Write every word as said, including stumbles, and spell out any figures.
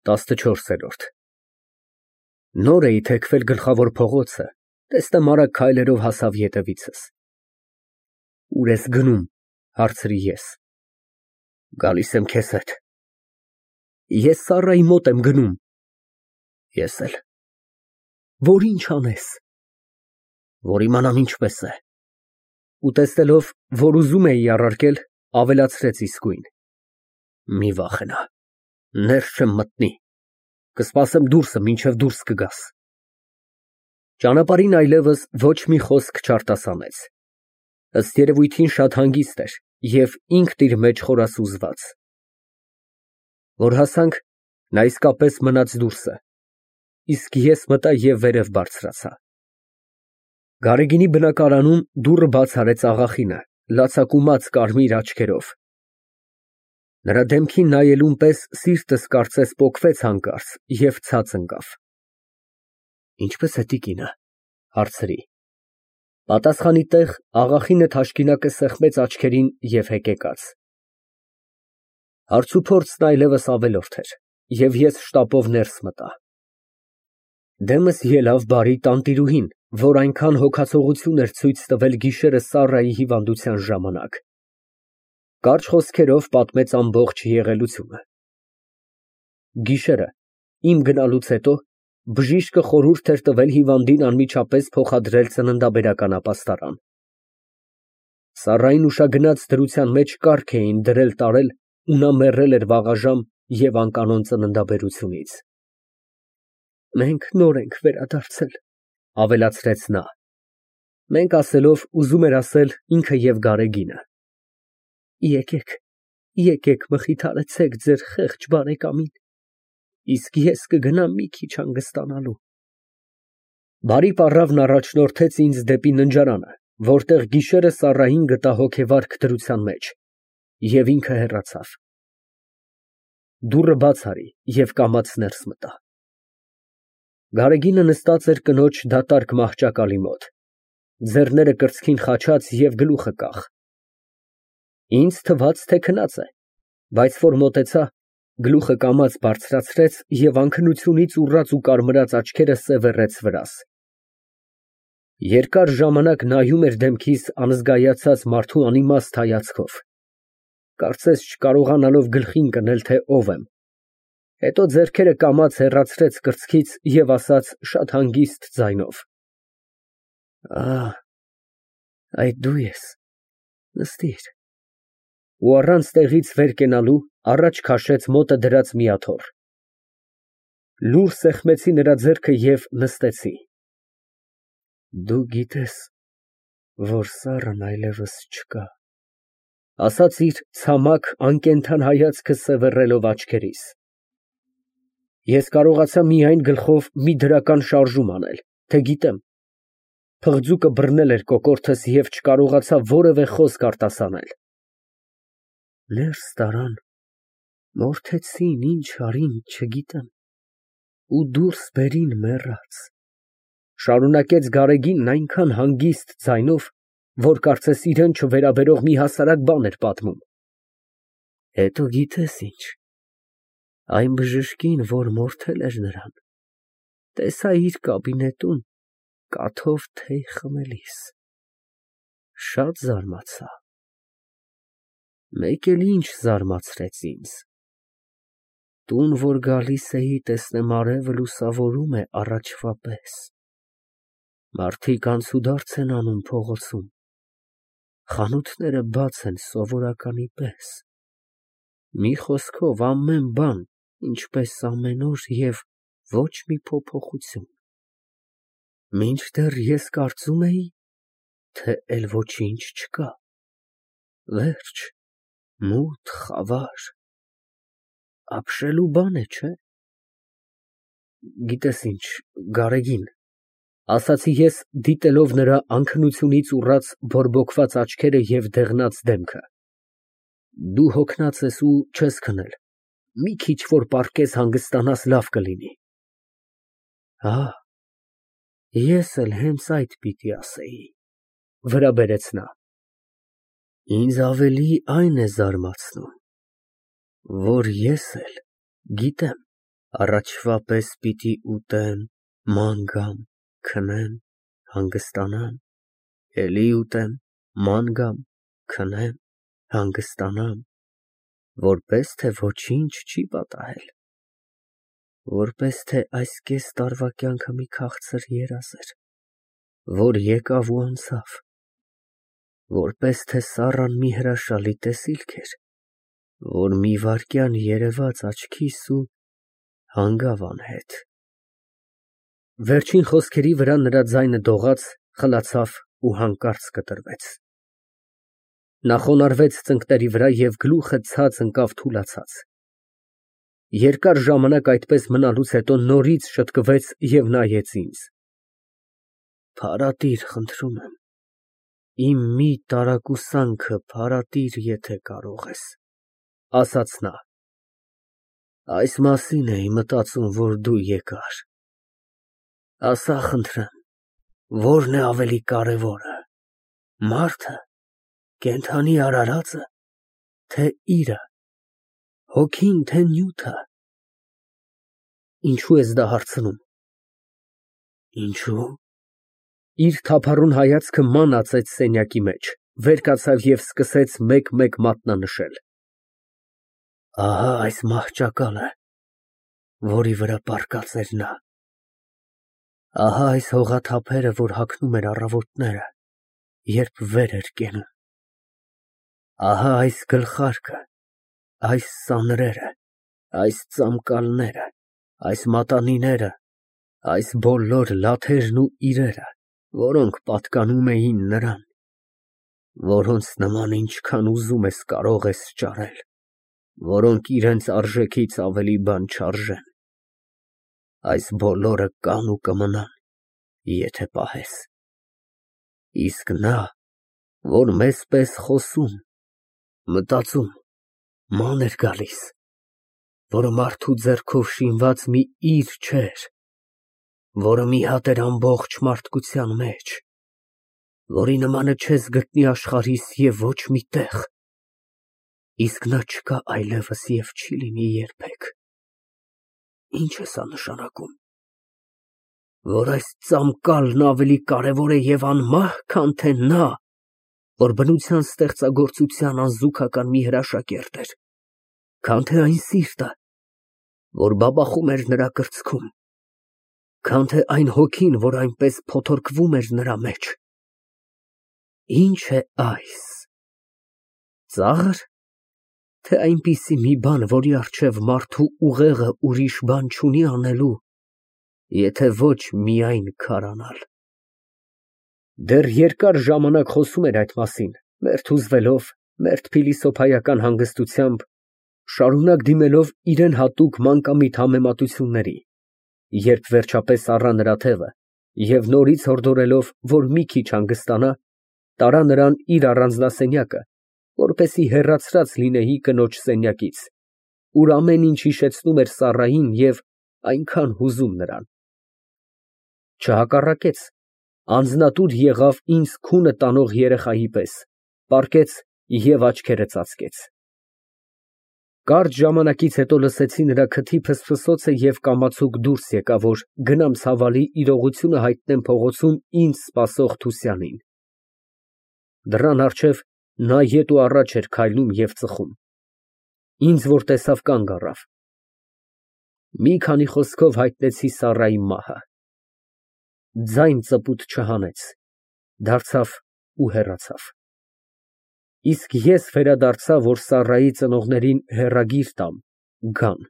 տասնչորսերորդ Նոր էի թեքվել գլխավոր փողոցը, տեսնեմ արագ քայլերով հասավ ետևիցս։ Ո՞ւր ես գնում, հարցրի ես։ Գալիս եմ քեզ հետ։ Ես Սառայի մոտ եմ գնում։ Ես էլ։ Որ ինչ անես։ Որ իմանամ ինչպես է։ Ու տեսնելով, որ ուզում էի առարկել, ավելացրեց իսկույն. Մի վախենա, ներս չեմ մտնի, կսպասեմ դուրսը, մինչև դուրս կգաս։ Ճանապարհին այլևս ոչ մի խոսք չարտասանեց, ըստ երևույթին շատ հանգիստ էր և ինքն իր մեջ խորասուզված։ Որ հասանք, նա իսկապես մնաց դուրսը, իսկ ես մտա և վերև բարձրացա։ Գարեգինի բնակարանում դուռը բաց արեց աղախինը, լացակումած կարմիր աչքերով։ Նրա դեմքին նայելուն պես սիրտս կարծես պոկվեց հանկարծ և ցած ընկավ։ Ինչպե՞ս է տիկինը, հարցրի։ Պատասխանի տեղ աղախինը թաշկինակը սեղմեց աչքերին և հեկեկաց։ Հարցուփորձն այլևս ավելորդ էր, և ես շտապով ներս մտա։ Դեմս ելավ բարի տանտիրուհին, որ այնքան հոգացողություն էր ցույց տվել գիշերը Սառայի հիվանդության ժամանակ։ Կարճ խոսքերով պատմեց ամբողջ եղելությունը։ Գիշերը, իմ գնալուց հետո, բժիշկը խորհուրդ էր տվել հիվանդին անմիջապես փոխադրել ծննդաբերական ապաստարան։ Սառային ուշագնաց դրության մեջ կառք էին դրել֊տարել, ու նա մեռել էր վաղաժամ և անկանոն ծննդաբերությունից։ Մենք նոր ենք վերադարձել, ավելացրեց նա։ Մենք ասելով, ուզում էր ասել ինքը և Գարեգինը։ Եկեք, եկեք մխիթարեցեք ձեր խեղճ բարեկամին, իսկ ես կգնամ մի քիչ հանգստանալու։ Բարի պառավն առաջնորդեց ինձ դեպի ննջարանը, որտեղ գիշերը Սառային գտա հոգեվարք դրության մեջ, և ինքը հեռացավ։ Դուռը բաց արի և կամաց ներս մտա։ Գարեգինը նստած էր կնոջ դատարկ մահճակալի մոտ, ձեռները կրծքին խաչած և գլուխը կախ։ Ինձ թվաց, թե քնած է, բայց որ մոտեցա, գլուխը կամաց բարձրացրեց և անքնությունից ուռած ու կարմրած աչքերը սևեռեց վրաս։ Երկար ժամանակ նայում էր դեմքիս անզգայացած մարդու անիմաստ հայացքով, կարծես չկարողանալով գլխի ընկնել, թե ով եմ, հետո ձեռքերը կամաց հեռացրեց կրծքից և ասաց շատ հանգիստ ձայնով. Ա, այդ դու ես, նստիր, ու առանց տեղից վեր կենալու, առաջ քաշեց մոտը դրած մի աթոռ։ Լուռ սեղմեցի նրա ձեռքը և նստեցի։ Դու գիտես, որ Սառան այլևս չկա, ասաց իր ցամաք, անկենդան հայացքը սևեռելով աչքերիս։ Ես կարողացա միայն գլխով մի դրական շարժում անել, թե գիտեմ, փղձուկը բռնել էր կոկորդս և չկարողացա որևէ խոսք արտասանել։ Ներս տարան, մորթեցին, ինչ արին, չգիտեմ, ու դուրս բերին մեռած, շարունակեց Գարեգինն այնքան հանգիստ ձայնով, որ կարծես իրան չվերաբերող մի հասարակ բան էր պատմում։ Հետո գիտես ինչ, այն բժշկին, որ մորթել էր նրան, տեսա իր կաբինետում կաթով թեյ խմելիս, շատ զարմացա։ Մեկ էլ ինչ զարմացրեց ինձ. տուն, որ գալիս էի, տեսնեմ արևը լուսավորում է առաջվա պես, մարդիկ անցուդարձ են անում փողոցում, խանութները բաց են սովորականի պես, մի խոսքով ամեն բան, ինչպես ամեն օր և ոչ մի փոփոխություն, մինչդեռ ես կարծում էի, թե էլ ոչինչ չկա, վերջ, մութ, խավար, ապշելու բան է, չէ՞։ Գիտես ինչ, Գարեգին, ասացի ես, դիտելով նրա անքնությունից ուռած բորբոքված աչքերը և դեղնած դեմքը, դու հոգնած ես ու չես քնել, մի քիչ որ պառկես հանգստանաս, լավ կլինի։ Հա, ես էլ հենց այդ պիտի ասեի, վրա բերեց նա։ Ինձ ավելի այն է զարմացնում, որ ես էլ գիտեմ, Առաջվա պես պիտի ուտեմ, ման գամ, քնեմ, հանգստանամ, էլի ուտեմ, ման գամ, քնեմ, հանգստանամ, որպես թե ոչինչ չի պատահել, որպես թե այս կես տարվա կյանքը մի քաղցր երազ էր, որ եկավ ու անցավ, որպես թե Սառան մի հրաշալի տեսիլք էր, որ մի վայրկյան երևաց աչքիս ու հանգավ անհետ։ Վերջին խոսքերի վրա նրա ձայնը դողաց, խլացավ ու հանկարծ կտրվեց։ Նա խոնարհվեց ծնկների վրա և գլուխը ցած ընկավ թուլացած։ Երկար ժամանակ այդպես մնալուց հետո նորից շտկվեց և նայեց ինձ։ Փարատիր, խնդրում եմ, իմ մի տարակուսանքը փարատիր, եթե կարող ես, ասաց նա։ Այս մասին էի մտածում, որ դու եկար։ Ասա, խնդրեմ, որն է ավելի կարևորը, մարդը, կենդանի արարածը, թե իրը, հոգին, թե նյութը։ Ինչու ես դա հարցնում։ Ինչու։ Իր թափառուն հայացքը ման ածեց սենյակի մեջ, վեր կացավ և սկսեց մեկ֊մեկ մատնանշել։ Ահա այս մահճակալը, որի վրա պառկած էր նա։ Ահա այս հողաթափերը, որ հագնում էր առավոտները, երբ վեր էր կենում։ Ահա այս գլխարկը, այս սանրերը, այս ծամկալները, այս մատանիները, այս բոլոր լաթերն ու իրերը, որոնք պատկանում էին նրան, որոնց նման ինչքան ուզում ես կարող ես ճարել, որոնք իրենց արժեքից ավելի բան չարժեն, այս բոլորը կան ու կմնան, եթե պահես։ Իսկ նա, որ մեզ պես խոսում, մտածում, ման էր գալիս, որը մարդու ձեռքով շինված մի իր չէր, որը մի հատ էր ամբողջ մարդկության մեջ, որի նմանը չես գտնի աշխարհիս և ոչ մի տեղ, իսկ նա չկա այլևս և չի լինի երբեք։ Ինչ է սա նշանակում։ Որ այս ծամկալն ավելի կարևոր է և անմահ, քան թե նա, որ բնության ստեղծագործության անզուգական մի հրաշագերտ էր, քան թե այն սիրտը, որ բաբախում էր նրա կրծքում, քան թե այն հոգին, որ այնպես փոթորկվում էր նրա մեջ։ Ինչ է այս։ Ծա՞ղր, թե այնպիսի մի բան, որի առջև մարդու ուղեղը ուրիշ բան չունի անելու, եթե ոչ միայն քարանալ։ Դեռ երկար ժամանակ խոսում էր այդ մասին, մերթ հուզվելով, մերթ փիլիսոփայական հանգստությամբ, շարունակ դիմելով իրան հատուկ մանկամիտ համեմատությունների, երբ վերջապես առա նրա թևը և նորից հորդորելով, որ մի քիչ հանգստանա, տարա նրան իր առանձնասենյակը, որպեսզի հեռացրած լինեի կնոջ սենյակից, ուր ամեն ինչ հիշեցնում էր Սառային և այնքան հուզում նրան։ Չհակառակեց, անձնատուր եղավ ինձ քունը տանող երեխայի պես, պառկեց և աչքերը ծածկեց։ Կարճ ժամանակից հետո լսեցի նրա քթի ֆսֆսոցը և կամացուկ դուրս եկա, որ գնամ ցավալի իրողությունը հայտնեմ փողոցում ինձ սպասող Թուսյանին։ Դռան առջև նա ետ ու առաջ էր քայլում և ծխում։ Ինձ որ տեսավ, կանգ առավ։ Մի քանի խոսքով հայտնեցի Սառայի մահը։ Ձայն ծպուտ չհանեց, դարձավ ու հեռացավ։ Իսկ ես վերադարձա, որ Սառայի ծնողներին հեռագիր տամ, գան։